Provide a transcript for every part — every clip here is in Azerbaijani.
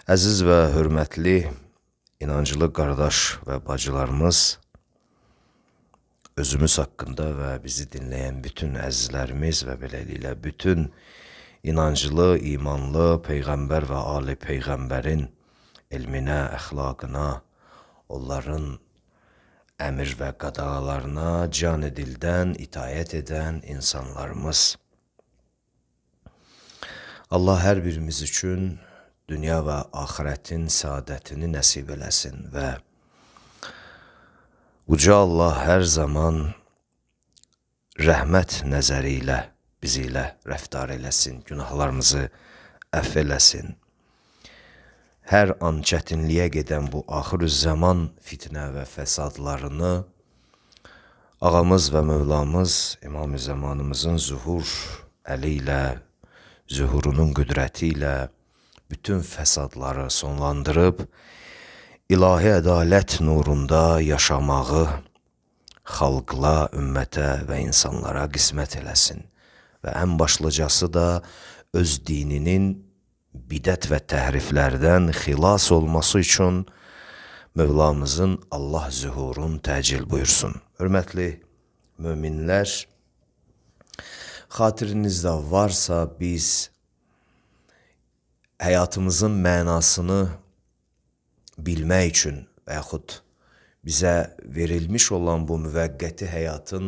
Əziz və hörmətli inancılı qardaş və bacılarımız, özümüz haqqında və bizi dinləyən bütün əzizlərimiz və beləliklə bütün inancılı, imanlı Peyğəmbər və Ali Peyğəmbərin elminə, əxlaqına, onların əmr və qadağalarına can-ı dildən itayət edən insanlarımız. Allah hər birimiz üçün dünya və axirətin səadətini nəsib eləsin və Uca Allah hər zaman rəhmət nəzəri ilə bizi ilə rəftar eləsin, günahlarımızı əff eləsin. Hər an çətinliyə gedən bu axır-zaman fitnə və fəsadlarını ağamız və Mövlamız İmam-ı Zamanımızın zuhur əli ilə, zuhurunun qüdrəti ilə bütün fəsadları sonlandırıb, ilahi ədalət nurunda yaşamağı xalqla, ümmətə və insanlara qismət eləsin. Və ən başlıcası da öz dininin bidət və təhriflərdən xilas olması üçün Mövlamızın Allah zuhurun təcil buyursun. Hörmətli möminlər, xatirinizdə varsa biz həyatımızın mənasını bilmək üçün və yaxud bizə verilmiş olan bu müvəqqəti həyatın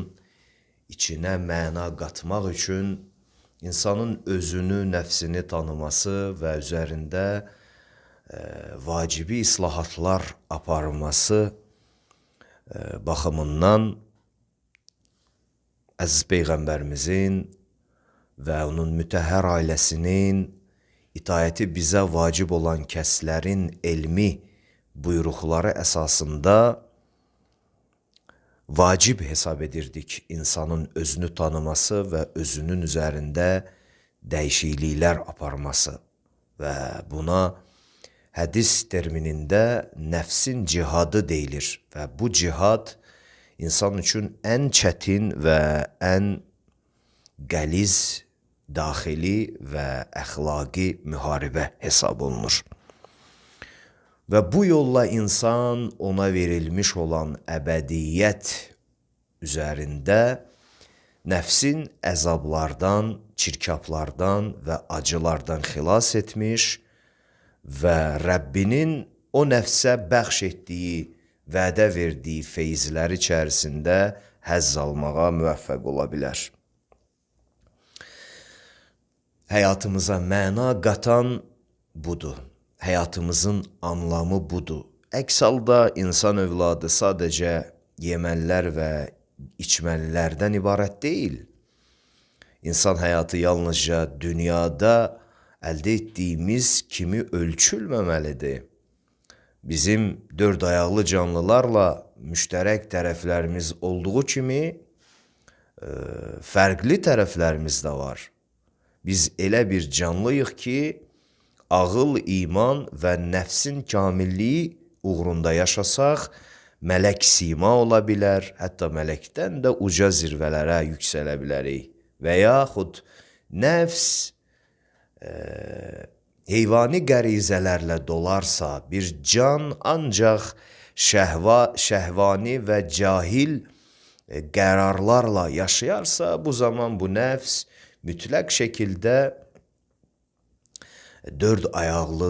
içinə məna qatmaq üçün insanın özünü, nəfsini tanıması və üzərində vacibi islahatlar aparması baxımından Əziz Peyğəmbərimizin və onun mütəhhər ailəsinin itayəti bizə vacib olan kəslərin elmi buyruqları əsasında vacib hesab edirdik insanın özünü tanıması və özünün üzərində dəyişikliklər aparması və buna hədis terminində nəfsin cihadı deyilir və bu cihad insan üçün ən çətin və ən qəliz daxili və əxlaqi müharibə hesab olunur. Və bu yolla insan ona verilmiş olan əbədiyyət üzərində nəfsin əzablardan, çirkablardan və acılardan xilas etmiş və Rəbbinin o nəfsə bəxş etdiyi, vədə verdiyi feyzlər içərisində həzz almağa müvəffəq ola bilər. Həyatımıza məna qatan budur. Həyatımızın anlamı budur. Əks halda insan övladı sadəcə yemələr və içməlilərdən ibarət deyil. İnsan həyatı yalnızca dünyada əldə etdiyimiz kimi ölçülməməlidir. Bizim dörd ayaqlı canlılarla müştərək tərəflərimiz olduğu kimi fərqli tərəflərimiz də var. Biz elə bir canlıyıq ki, ağıl, iman və nəfsin kamilliyi uğrunda yaşasaq, mələk sima ola bilər, hətta mələkdən də uca zirvələrə yüksələ bilərik. Və yaxud nəfs heyvani qərizələrlə dolarsa, bir can ancaq şəhvani və cahil qərarlarla yaşayarsa, bu zaman bu nəfs mütləq şəkildə dörd ayaqlı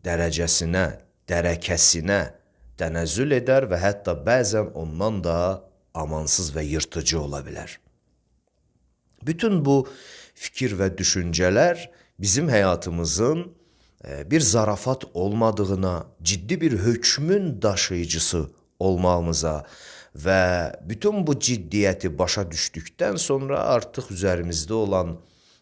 dərəcəsinə, dərəkəsinə tənəzzül edər və hətta bəzən ondan da amansız və yırtıcı ola bilər. Bütün bu fikir və düşüncələr bizim həyatımızın bir zarafat olmadığına, ciddi bir hökmün daşıyıcısı olmağımıza və bütün bu ciddiyyəti başa düşdükdən sonra artıq üzərimizdə olan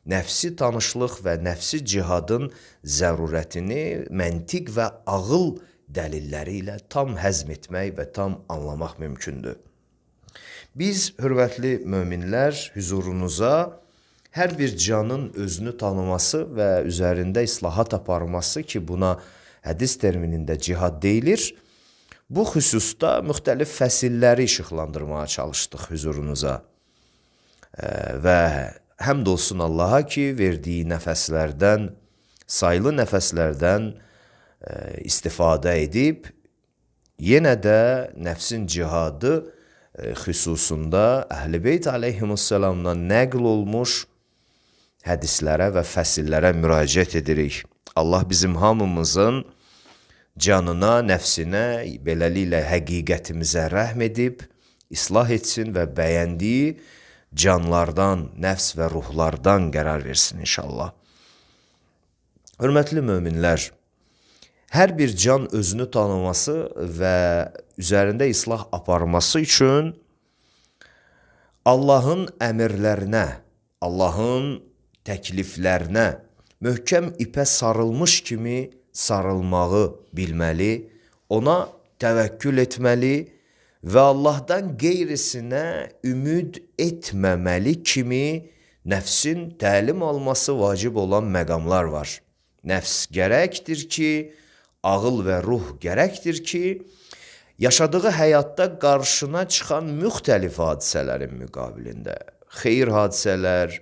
nəfsi tanışlıq və nəfsi cihadın zərurətini məntiq və ağıl dəlilləri ilə tam həzm etmək və tam anlamaq mümkündür. Biz, hörmətli möminlər, hüzurunuza hər bir canın özünü tanıması və üzərində islahat aparması ki, buna hədis terminində cihad deyilir, bu xüsusda müxtəlif fəsilləri işıqlandırmağa çalışdıq hüzurunuza və həmd olsun Allaha ki, verdiyi nəfəslərdən, sayılı nəfəslərdən istifadə edib, yenə də nəfsin cihadı xüsusunda Əhl-i Beyt aleyhimussalamdan nəql olmuş hədislərə və fəsillərə müraciət edirik. Allah bizim hamımızın canına, nəfsinə, beləliklə həqiqətimizə rəhm edib, islah etsin və bəyəndiyi canlardan, nəfs və ruhlardan qərar versin inşallah. Hörmətli möminlər, hər bir can özünü tanıması və üzərində islah aparması üçün Allahın əmrlərinə, Allahın təkliflərinə möhkəm ipə sarılmış kimi sarılmağı bilməli, ona təvəkkül etməli və Allahdan qeyrisinə ümid etməməli kimi nəfsin təlim alması vacib olan məqamlar var. Nəfs gərəkdir ki, ağıl və ruh gərəkdir ki, yaşadığı həyatda qarşına çıxan müxtəlif hadisələrin müqabilində, xeyir hadisələr,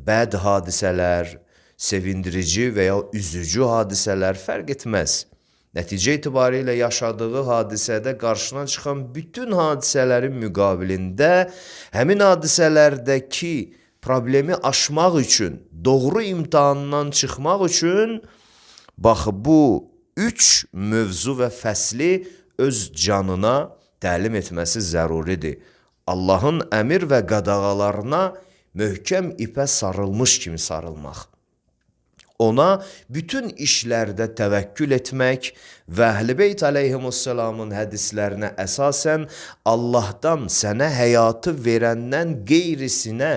bəd hadisələr, sevindirici və ya üzücü hadisələr fərq etməz. Nəticə itibarilə yaşadığı hadisədə qarşına çıxan bütün hadisələrin müqabilində həmin hadisələrdəki problemi aşmaq üçün, doğru imtahandan çıxmaq üçün bax bu üç mövzu və fəsli öz canına təlim etməsi zəruridir. Allahın əmir və qadağalarına möhkəm ipə sarılmış kimi sarılmaq. Ona bütün işlərdə təvəkkül etmək və Əhl-i Beyt aleyhimussalamın hədislərinə əsasən Allahdan sənə həyatı verəndən qeyrisinə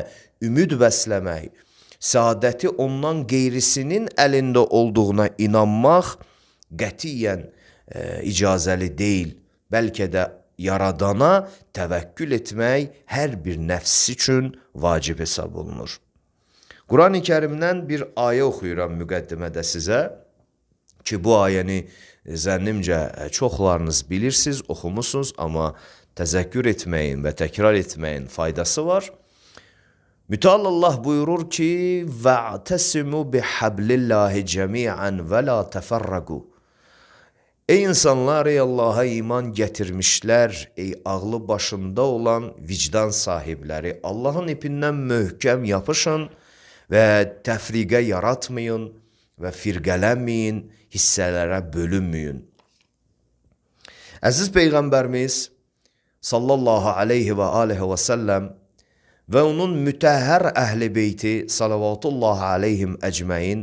ümid bəsləmək, səadəti ondan qeyrisinin əlində olduğuna inanmaq qətiyyən icazəli deyil. Bəlkə də yaradana təvəkkül etmək hər bir nəfs üçün vacib hesab olunur. Quran-ı Kərimdən bir ayə oxuyuram müqəddimədə sizə ki, bu ayəni zənnimcə çoxlarınız bilirsiniz, oxumusunuz, amma təzəkkür etməyin və təkrar etməyin faydası var. Müteal Allah buyurur ki, وَاَعْتَسِمُوا بِحَبْلِ اللّٰهِ جَمِيعًا وَلَا تَفَرَّقُوا. Ey insanlar, ey Allah'a iman gətirmişlər, ey ağlı başında olan vicdan sahibləri, Allahın ipindən möhkəm yapışın və təfriqə yaratmayın və firqələnməyin, hissələrə bölünməyin. Əziz Peyğəmbərimiz sallallahu aleyhi və aleyhi və səlləm və onun mütəhhər əhl-i beyti salavatullahi aleyhim əcməin,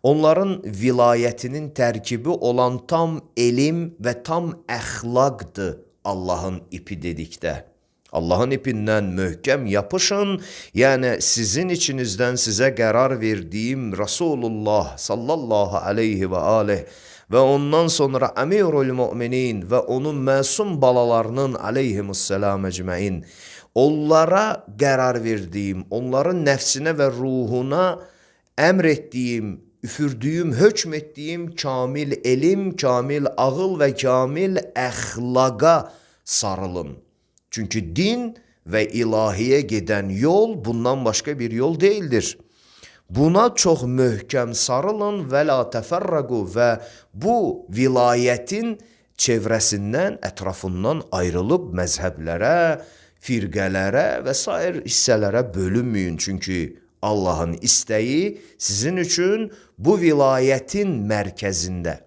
onların vilayətinin tərkibi olan tam elm və tam əxlaqdır Allahın ipi dedikdə. Allahın ipindən möhkəm yapışın, yəni sizin içinizdən sizə qərar verdiyim Rasulullah sallallahu aleyhi və aleyh və ondan sonra Əmirul Müminin və onun məsum balalarının aleyhimussalam əcməin, onlara qərar verdiyim, onların nəfsinə və ruhuna əmr etdiyim, üfürdüyüm, hökm etdiyim kamil elm, kamil ağıl və kamil əxlaqa sarılın. Çünki din və ilahiyə gedən yol bundan başqa bir yol deyildir. Buna çox möhkəm sarılın və la təfərrəqu və bu vilayətin çevrəsindən, ətrafından ayrılıb məzhəblərə, firqələrə və sair hissələrə bölünməyin. Çünki Allahın istəyi sizin üçün bu vilayətin mərkəzində,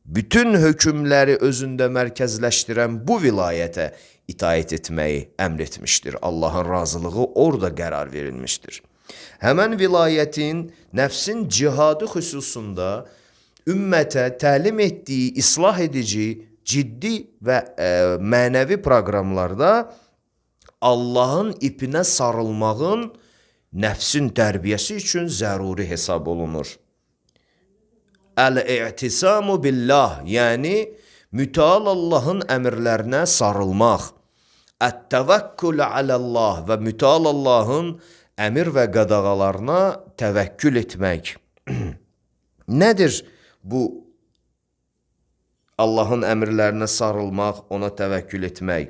bütün hökmləri özündə mərkəzləşdirən bu vilayətə itaət etməyi əmr etmişdir. Allahın razılığı orada qərar verilmişdir. Həmən vilayətin nəfsin cihadı xüsusunda ümmətə təlim etdiyi, islah edici, ciddi və mənəvi proqramlarda Allahın ipinə sarılmağın nəfsin tərbiyəsi üçün zəruri hesab olunur. Əl-i'tisamu billah, yəni müteal Allahın əmrlərinə sarılmaq. Ət-təvəkkül aləllah və müteal Allahın əmr və qadağalarına təvəkkül etmək. Nədir bu Allahın əmrlərinə sarılmaq, ona təvəkkül etmək?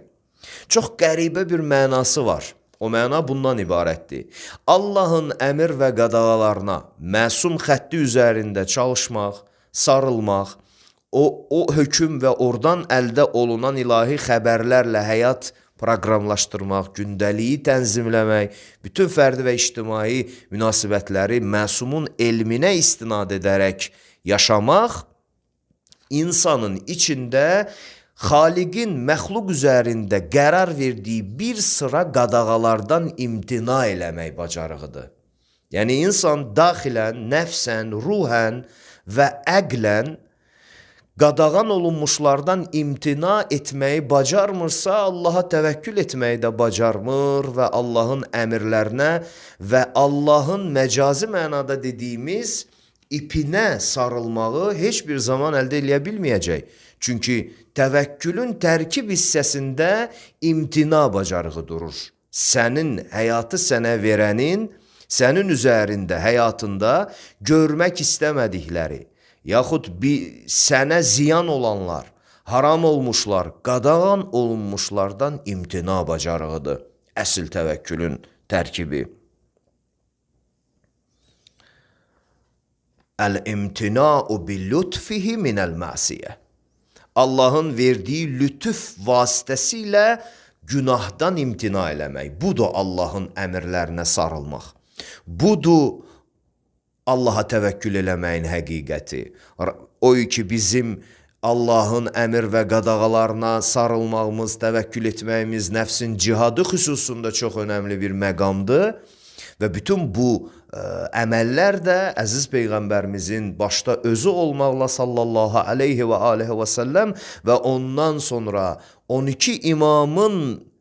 Çox qəribə bir mənası var. O məna bundan ibarətdir. Allahın əmr və qadağalarına məsum xətti üzərində çalışmaq, sarılmaq, o hökm və oradan əldə olunan ilahi xəbərlərlə həyat proqramlaşdırmaq, gündəliyi tənzimləmək, bütün fərdi və ictimai münasibətləri məsumun elminə istinad edərək yaşamaq, insanın içində Xaliqin məxluq üzərində qərar verdiyi bir sıra qadağalardan imtina eləmək bacarığıdır. Yəni, insan daxilən, nəfsən, ruhən və əqlən qadağan olunmuşlardan imtina etməyi bacarmırsa, Allaha təvəkkül etməyi də bacarmır və Allahın əmrlərinə və Allahın məcazi mənada dediyimiz ipinə sarılmağı heç bir zaman əldə eləyə bilməyəcək. Çünki təvəkkülün tərkib hissəsində imtina bacarığı durur. Sənin həyatı sənə verənin, sənin üzərində, həyatında görmək istəmədikləri, yaxud sənə ziyan olanlar, haram olmuşlar, qadağan olunmuşlardan imtina bacarığıdır. Əsl təvəkkülün tərkibi. Əl-imtina'u bil-lütfihi minəl-məsiyə. Allahın verdiyi lütuf vasitəsilə günahdan imtina eləmək. Budur Allahın əmrlərinə sarılmaq. Budur Allaha təvəkkül eləməyin həqiqəti. O ki, bizim Allahın əmr və qadağalarına sarılmağımız, təvəkkül etməyimiz nəfsin cihadı xüsusunda çox önəmli bir məqamdır. Və bütün bu əməllər də əziz Peyğəmbərimizin başda özü olmaqla sallallahu aleyhi və aleyhi və səlləm və ondan sonra 12 imamın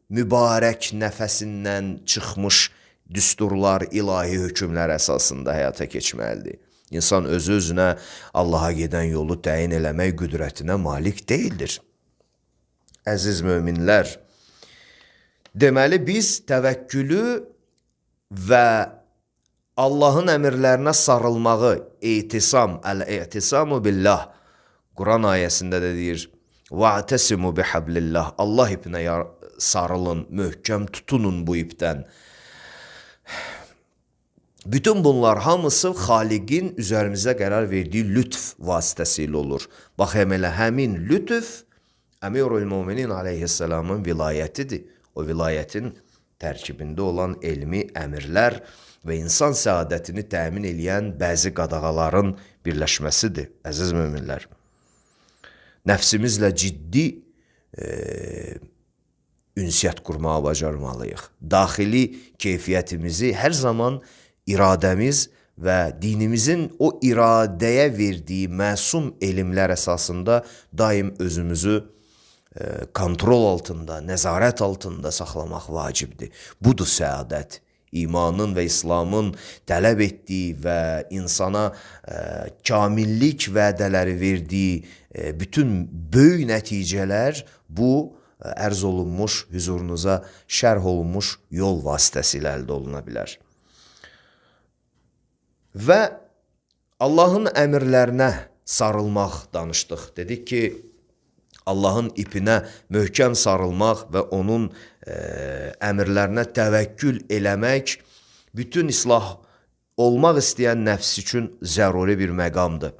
mübarək nəfəsindən çıxmış düsturlar, ilahi hökmlər əsasında həyata keçməlidir. İnsan özü-özünə Allaha gedən yolu təyin eləmək qüdrətinə malik deyildir. Əziz möminlər, deməli biz təvəkkülü və Allahın əmrlərinə sarılmağı, etisam, əl-e'tisamu billah, Quran ayəsində də deyir, وَاَعْتَسِمُوا بِحَبْلِ اللّٰهِ Allah ipinə sarılın, möhkəm tutunun bu ipdən. Bütün bunlar hamısı Xaliqin üzərimizə qərar verdiyi lütf vasitəsilə olur. Baxım elə həmin lütf Əmirül-Müminin aleyhisselamın vilayətidir. O vilayətin tərkibində olan elmi əmirlər və insan səadətini təmin eləyən bəzi qadağaların birləşməsidir, əziz möminlər. Nəfsimizlə ciddi ünsiyyət qurmağa bacarmalıyıq. Daxili keyfiyyətimizi hər zaman iradəmiz və dinimizin o iradəyə verdiyi məsum elmlər əsasında daim özümüzü kontrol altında, nəzarət altında saxlamaq vacibdir. Budur səadət. İmanın və İslamın tələb etdiyi və insana kamillik vədələri verdiyi bütün böyük nəticələr bu ərz olunmuş, hüzurunuza şərh olunmuş yol vasitəsilə əldə oluna bilər. Və Allahın əmrlərinə sarılmaq danışdıq. Dedik ki, Allahın ipinə möhkəm sarılmaq və onun əmrlərinə təvəkkül eləmək bütün islah olmaq istəyən nəfs üçün zəruri bir məqamdır.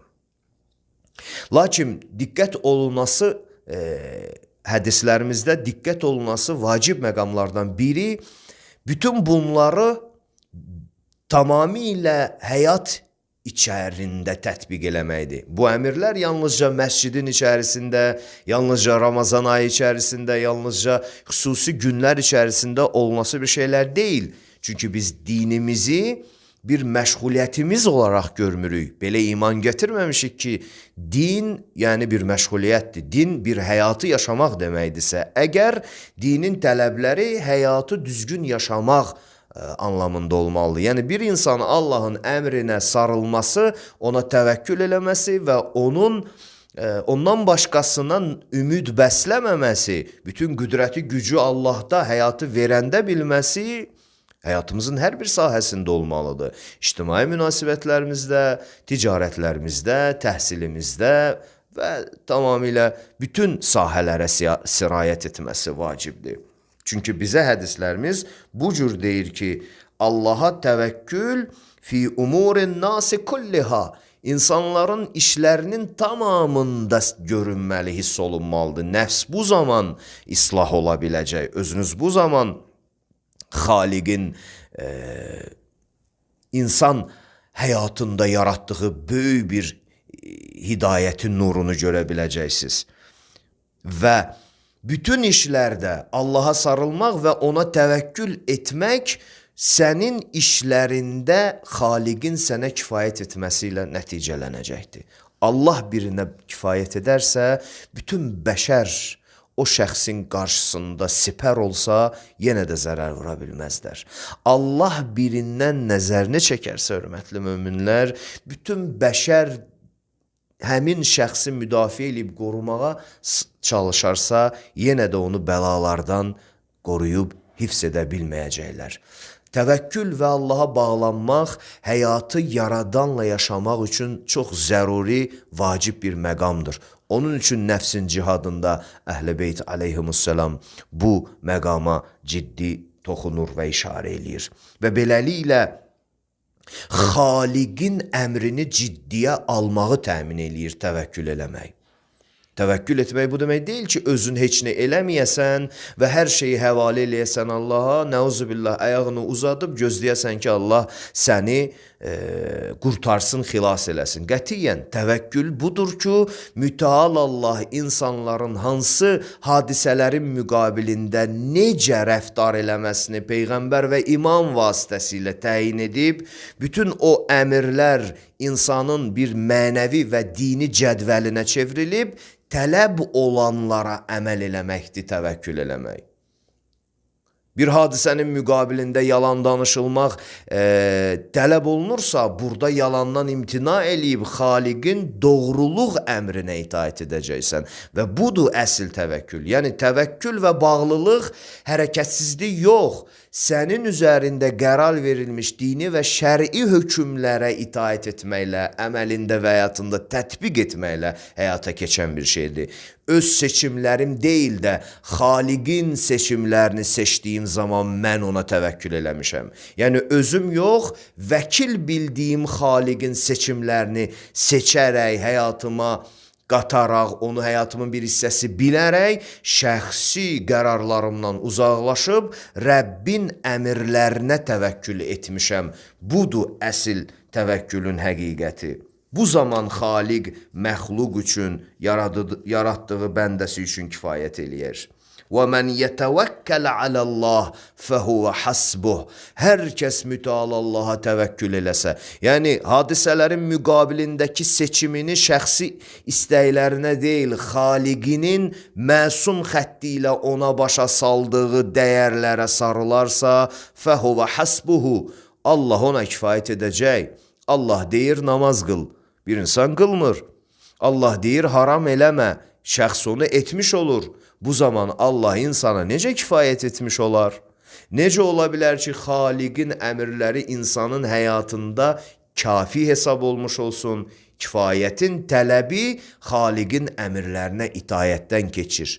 Lakin diqqət olunması, hədislərimizdə diqqət olunması vacib məqamlardan biri, bütün bunları tamamilə həyat içərisində tətbiq eləməkdir. Bu əmirlər yalnızca məscidin içərisində, yalnızca Ramazan ayı içərisində, yalnızca xüsusi günlər içərisində olması bir şeylər deyil. Çünki biz dinimizi bir məşğuliyyətimiz olaraq görmürük. Belə iman gətirməmişik ki, din yəni bir məşğuliyyətdir. Din bir həyatı yaşamaq deməkdirsə, əgər dinin tələbləri həyatı düzgün yaşamaq anlamında olmalıdır. Yəni bir insan Allahın əmrinə sarılması, ona təvəkkül eləməsi və ondan başqasından ümid bəsləməməsi, bütün qüdrəti, gücü Allahda həyatı verəndə bilməsi həyatımızın hər bir sahəsində olmalıdır. İctimai münasibətlərimizdə, ticarətlərimizdə, təhsilimizdə və tamamilə bütün sahələrə sirayət etməsi vacibdir. Çünki bizə hədislərimiz bu cür deyir ki, Allaha təvəkkül fi umurin nasi kulliha, İnsanların işlərinin tamamında görünməli, hiss olunmalıdır. Nəfs bu zaman islah ola biləcək. Özünüz bu zaman Xaliqin insan həyatında yaratdığı böyük bir hidayətin nurunu görə biləcəksiniz. Və bütün işlərdə Allaha sarılmaq və ona təvəkkül etmək sənin işlərində Xaliqin sənə kifayət etməsi ilə nəticələnəcəkdir. Allah birinə kifayət edərsə, bütün bəşər o şəxsin qarşısında sipər olsa, yenə də zərər vura bilməzlər. Allah birindən nəzərini çəkərsə, hörmətli möminlər, bütün bəşər həmin şəxsi müdafiə edib qorumağa çalışarsa, yenə də onu bəlalardan qoruyub hifz edə bilməyəcəklər. Təvəkkül və Allaha bağlanmaq həyatı yaradanla yaşamaq üçün çox zəruri, vacib bir məqamdır. Onun üçün nəfsin cihadında Əhl-i Beyt aleyhimussalam bu məqama ciddi toxunur və işarə eləyir. Və beləliklə Xaliqin əmrini ciddiyə almağı təmin eləyir təvəkkül eləmək. Təvəkkül etmək bu demək deyil ki, özün heç nə eləməyəsən və hər şeyi həvalə eləyəsən Allaha, nəuzubillah, ayağını uzadıb gözləyəsən ki, Allah səni qurtarsın, xilas eləsin. Qətiyyən, təvəkkül budur ki, mütəal Allah insanların hansı hadisələrin müqabilində necə rəftar eləməsini Peyğəmbər və imam vasitəsilə təyin edib, bütün o əmirlər insanın bir mənəvi və dini cədvəlinə çevrilib, tələb olanlara əməl eləməkdir təvəkkül eləmək. Bir hadisənin müqabilində yalan danışılmaq tələb olunursa, burada yalandan imtina eləyib Xaliqin doğruluq əmrinə itaət edəcəksən. Və budur əsl təvəkkül. Yəni təvəkkül və bağlılıq hərəkətsizlik yox, sənin üzərində qərar verilmiş dini və şəri hökmlərə itaət etməklə, əməlində və həyatında tətbiq etməklə həyata keçən bir şeydir. Öz seçimlərim deyil də, Xaliqin seçimlərini seçdiyim zaman mən ona təvəkkül eləmişəm. Yəni özüm yox, vəkil bildiyim Xaliqin seçimlərini seçərək, həyatıma qataraq, onu həyatımın bir hissəsi bilərək, şəxsi qərarlarımdan uzaqlaşıb, Rəbbin əmirlərinə təvəkkül etmişəm. Budur əsl təvəkkülün həqiqəti. Bu zaman Xaliq məxluq üçün, yaratdığı bəndəsi üçün kifayət eləyər. وَمَنْ يَتَوَكَّلَ عَلَى اللّٰهِ فَهُوَ حَسْبُهُ. Hər kəs mütəal Allaha təvəkkül eləsə, yəni hadisələrin müqabilindəki seçimini şəxsi istəklərinə deyil, Xaliqinin məsum xətti ilə ona başa saldığı dəyərlərə sarılarsa, فَهُوَ حَسْبُهُ. Allah ona kifayət edəcək. Allah deyir, namaz qıl. Bir insan qılmır. Allah deyir, haram eləmə. Şəxs onu etmiş olur. Bu zaman Allah insana necə kifayət etmiş olar? Necə ola bilər ki, Xaliqin əmrləri insanın həyatında kafi hesab olmuş olsun? Kifayətin tələbi Xaliqin əmrlərinə itayətdən keçir.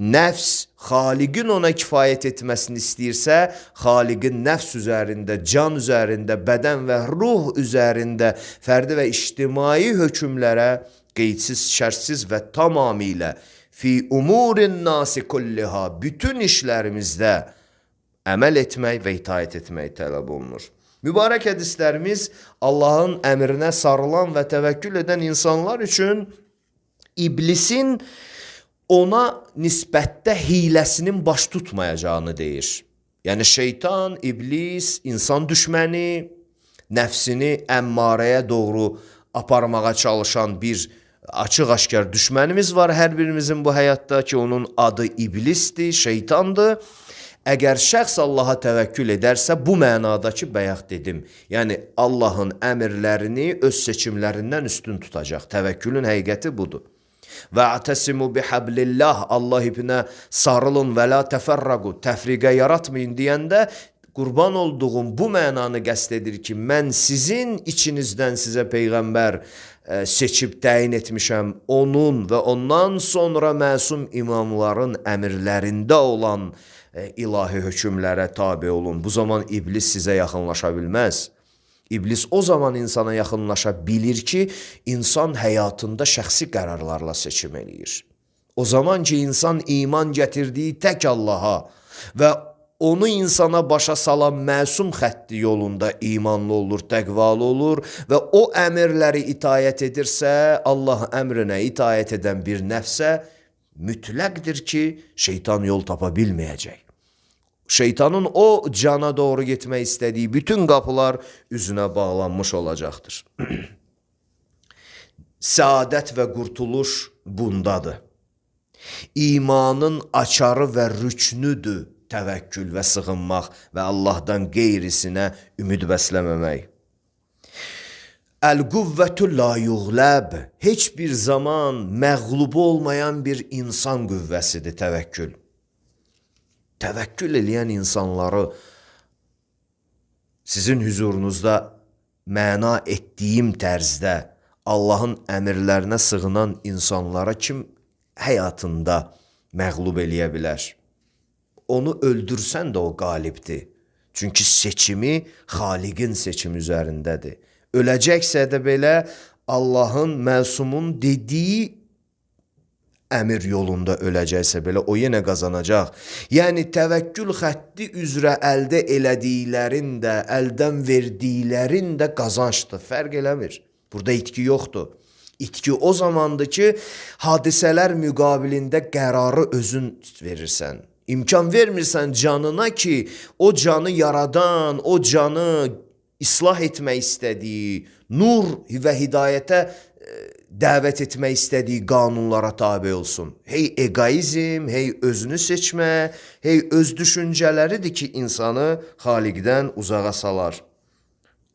Nəfs, Xaliqin ona kifayət etməsini istəyirsə, Xaliqin nəfs üzərində, can üzərində, bədən və ruh üzərində fərdi və ictimai hökmlərə qeydsiz, şərtsiz və tamamilə fi umurin nasi kulliha, bütün işlərimizdə əməl etmək və itaət etmək tələb olunur. Mübarək hədislərimiz Allahın əmrinə sarılan və təvəkkül edən insanlar üçün iblisin ona nisbətdə hiləsinin baş tutmayacağını deyir. Yəni şeytan, iblis, insan düşməni, nəfsini əmmarəyə doğru aparmağa çalışan bir açıq-aşkar düşmənimiz var hər birimizin bu həyatda ki, onun adı iblisdir, şeytandır. Əgər şəxs Allaha təvəkkül edərsə, bu mənada ki, bayaq dedim, yəni Allahın əmrlərini öz seçimlərindən üstün tutacaq. Təvəkkülün həqiqəti budur. Və ətəsimu bihablillah, Allah ipinə sarılın və la təfərraqu, təfriqə yaratmayın deyəndə, qurban olduğum bu mənanı qəsd edir ki, mən sizin içinizdən sizə Peyğəmbər seçib təyin etmişəm, onun və ondan sonra məsum imamların əmrlərində olan ilahi hökmlərə tabi olun. Bu zaman iblis sizə yaxınlaşa bilməz. İblis o zaman insana yaxınlaşa bilir ki, insan həyatında şəxsi qərarlarla seçim eləyir. O zaman ki, insan iman gətirdiyi tək Allaha və onu insana başa salan məsum xətti yolunda imanlı olur, təqvalı olur və o əmrləri itayət edirsə, Allah əmrinə itayət edən bir nəfsə mütləqdir ki, şeytan yol tapa bilməyəcək. Şeytanın o cana doğru getmək istədiyi bütün qapılar üzünə bağlanmış olacaqdır. Səadət və qurtuluş bundadır. İmanın açarı və rüknüdür təvəkkül və sığınmaq və Allahdan qeyrisinə ümid bəsləməmək. Əl-quvvətü la yuğləb, heç bir zaman məğlub olmayan bir insan qüvvəsidir təvəkkül. Təvəkkül eləyən insanları sizin huzurunuzda məna etdiyim tərzdə Allahın əmrlərinə sığınan insanlara kim həyatında məğlub eləyə bilər? Onu öldürsən də o qalibdir. Çünki seçimi Xaliqin seçimi üzərindədir. Öləcəksə də belə Allahın, məsumun dediyi əmir yolunda öləcəksə belə o yenə qazanacaq. Yəni təvəkkül xətti üzrə əldə elədiklərin də, əldən verdiklərin də qazançdır. Fərq eləmir. Burada itki yoxdur. İtki o zamandır ki, hadisələr müqabilində qərarı özün verirsən. İmkan vermirsən canına ki, o canı yaradan, o canı islah etmək istədiyi, nur və hidayətə dəvət etmək istədiyi qanunlara tabi olsun. Hey egoizm, hey özünü seçmə, hey öz düşüncələridir ki, insanı Xaliqdən uzağa salar.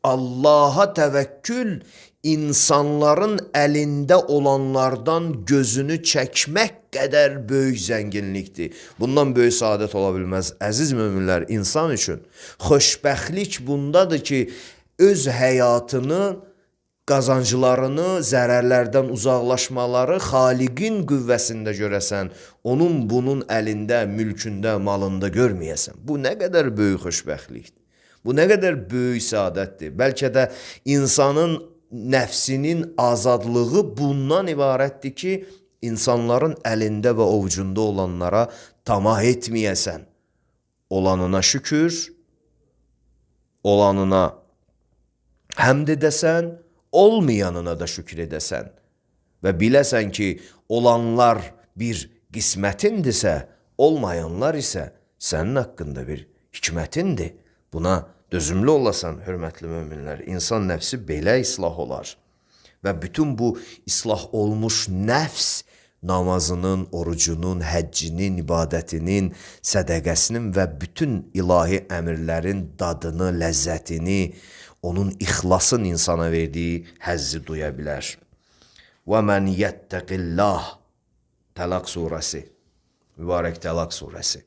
Allaha təvəkkül insanların əlində olanlardan gözünü çəkmək qədər böyük zənginlikdir. Bundan böyük saadət ola bilməz. Əziz möminlər, insan üçün xoşbəxtlik bundadır ki, öz həyatını, qazanclarını, zərərlərdən uzaqlaşmaları Xaliqin qüvvəsində görəsən, onun bunun əlində, mülkündə, malında görməyəsən. Bu nə qədər böyük xoşbəxtlikdir. Bu nə qədər böyük saadətdir. Bəlkə də insanın nəfsinin azadlığı bundan ibarətdir ki, insanların əlində və ovucunda olanlara tamah etməyəsən. Olanına şükür, olanına həmd edəsən, olmayanına da şükür edəsən və biləsən ki, olanlar bir qismətindirsə, olmayanlar isə sənin haqqında bir hikmətindir. Buna dözümlü olasan, hörmətli möminlər, insan nəfsi belə islah olar. Və bütün bu islah olmuş nəfs namazının, orucunun, həccinin, ibadətinin, sədəqəsinin və bütün ilahi əmrlərin dadını, ləzzətini, onun ixlasın insana verdiyi həzzi duya bilər. Və mən yəttəqillah, Tələq surəsi, mübarək Tələq surəsi.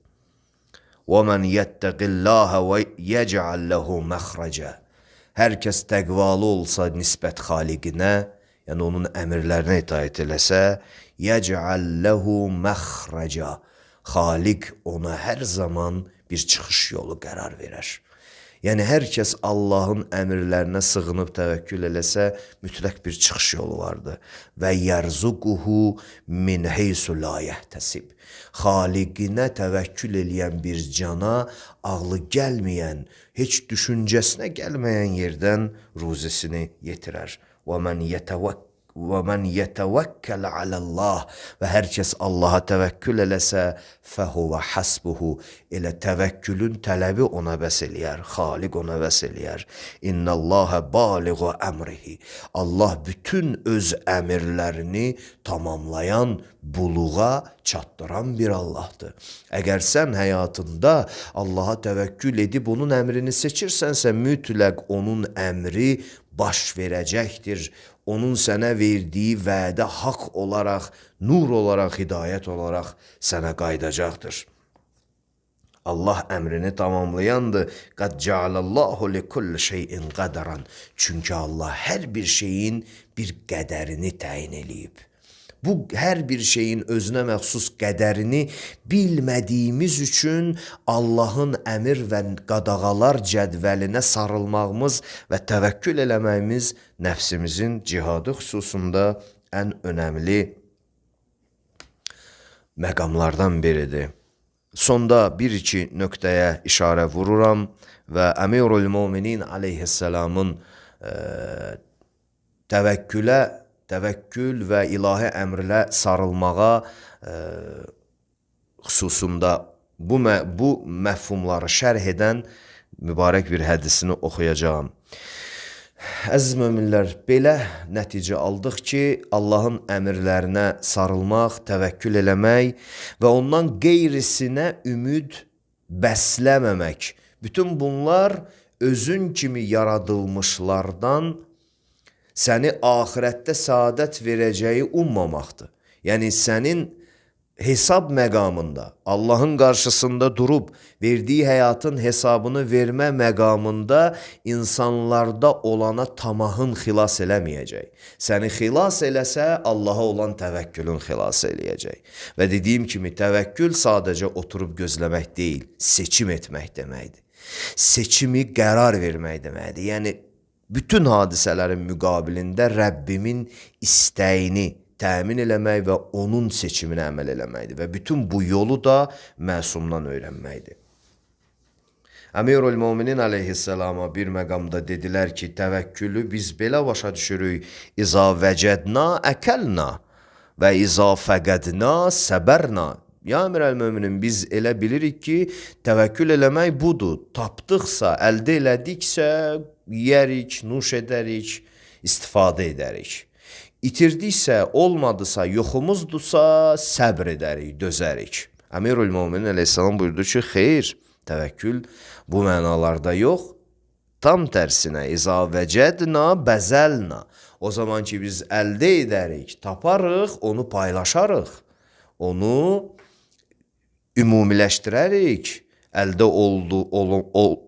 Və mən yəttəqillahə və yəcəl ləhu məxrəcə. Hər kəs təqvalı olsa nisbət Xaliqinə, yəni onun əmrlərinə itaət eləsə, yəcəl ləhu məxrəcə. Xaliq ona hər zaman bir çıxış yolu qərar verər. Yəni, hər kəs Allahın əmrlərinə sığınıb təvəkkül eləsə, mütləq bir çıxış yolu vardır. Və yərzuquhu min heysu la yəhtəsib. Xaliqinə təvəkkül eləyən bir cana, ağlı gəlməyən, heç düşüncəsinə gəlməyən yerdən ruzisini yetirər. Və mən yətəvəkkəl aləllah. Və hər kəs Allaha təvəkkül eləsə, fəhuvə hasbuhu. Elə təvəkkülün tələbi ona bəs eləyər, Xaliq ona bəs eləyər. İnnəllahə baliğu əmrihi. Allah bütün öz əmirlərini tamamlayan, buluğa çatdıran bir Allahdır. Əgər sən həyatında Allaha təvəkkül edib onun əmrini seçirsənsə, mütləq onun əmri baş verəcəkdir. Onun sənə verdiyi vədə haqq olaraq, nur olaraq, hidayət olaraq sənə qaydacaqdır. Allah əmrini tamamlayandır. Qad cəalallahu li kulli şeyin qədəran. Çünki Allah hər bir şeyin bir qədərini təyin eləyib. Bu hər bir şeyin özünə məxsus qədərini bilmədiyimiz üçün Allahın əmr və qadağalar cədvəlinə sarılmağımız və təvəkkül eləməyimiz nəfsimizin cihadı xüsusunda ən önəmli məqamlardan biridir. Sonda bir-iki nöqtəyə işarə vururam və Əmirul Möminin aleyhisselamın təvəkkül və ilahi əmrlə sarılmağa xüsusunda bu məfhumları şərh edən mübarək bir hədisini oxuyacağım. Əziz möminlər, belə nəticə aldıq ki, Allahın əmrlərinə sarılmaq, təvəkkül eləmək və ondan qeyrisinə ümid bəsləməmək. Bütün bunlar özün kimi yaradılmışlardan səni axirətdə səadət verəcəyi ummamaqdır. Yəni, sənin hesab məqamında, Allahın qarşısında durub, verdiyi həyatın hesabını vermə məqamında insanlarda olana tamahın xilas eləməyəcək. Səni xilas eləsə, Allaha olan təvəkkülün xilas eləyəcək. Və dediyim kimi, təvəkkül sadəcə oturub gözləmək deyil, seçim etmək deməkdir. Seçimi qərar vermək deməkdir. Yəni, bütün hadisələrin müqabilində Rəbbimin istəyini təmin eləmək və onun seçiminə əməl eləməkdir və bütün bu yolu da məsumdan öyrənməkdir. Əmirul Möminin aleyhisselama bir məqamda dedilər ki, təvəkkülü biz belə başa düşürük, İza vəcədna əkəlna və iza fəqədna səbərna. Ya Əmirəl Möminin, biz elə bilirik ki, təvəkkül eləmək budur. Tapdıqsa, əldə elədiksə, yeyərik, nuş edərik, istifadə edərik. İtirdiksə, olmadısa, yoxumuzdursa, səbr edərik, dözərik. Əmirul Möminin aleyhisselam buyurdu ki, xeyr, təvəkkül bu mənalarda yox, tam tərsinə, İza vəcədna bəzəlna. O zaman ki, biz əldə edərik, taparıq, onu paylaşarıq, onu ümumiləşdirərik.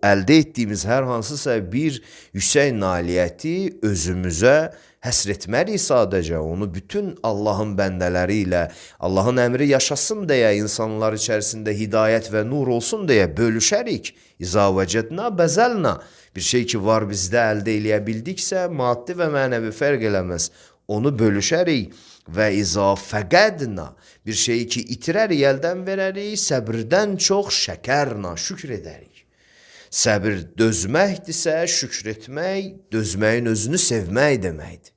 Əldə etdiyimiz hər hansısa bir yüksək nailiyyəti özümüzə həsr etmərik sadəcə, onu bütün Allahın bəndələri ilə, Allahın əmri yaşasın deyə, insanlar içərisində hidayət və nur olsun deyə bölüşərik. İza vəcədna bəzəlna. Bir şey ki var bizdə əldə eləyə bildiksə, maddi və mənəvi fərq eləməz. Onu bölüşərik və iza fəqədna. Bir şeyi ki itirərik, əldən verərik, səbirdən çox şəkərna, şükür edərik. Səbir dözməkdirsə, şükür etmək, dözməyin özünü sevmək deməkdir.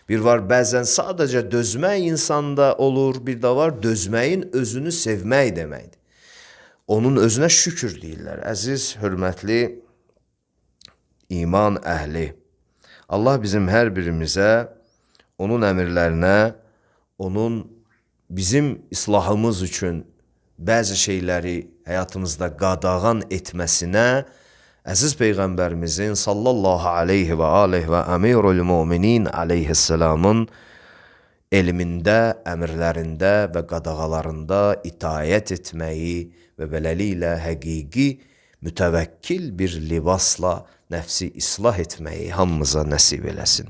Bir var, bəzən sadəcə dözmək insanda olur, bir də var, dözməyin özünü sevmək deməkdir. Onun özünə şükür deyirlər. Əziz, hörmətli iman əhli, Allah bizim hər birimizə, onun əmirlərinə, onun bizim islahımız üçün bəzi şeyləri həyatımızda qadağan etməsinə, əziz Peyğəmbərimizin sallallahu aleyhi və aleyhi və Əmirul Möminin aleyhisselamın elmində, əmrlərində və qadağalarında itaət etməyi və beləliklə həqiqi mütəvəkkil bir libasla nəfsi islah etməyi hamımıza nəsib eləsin.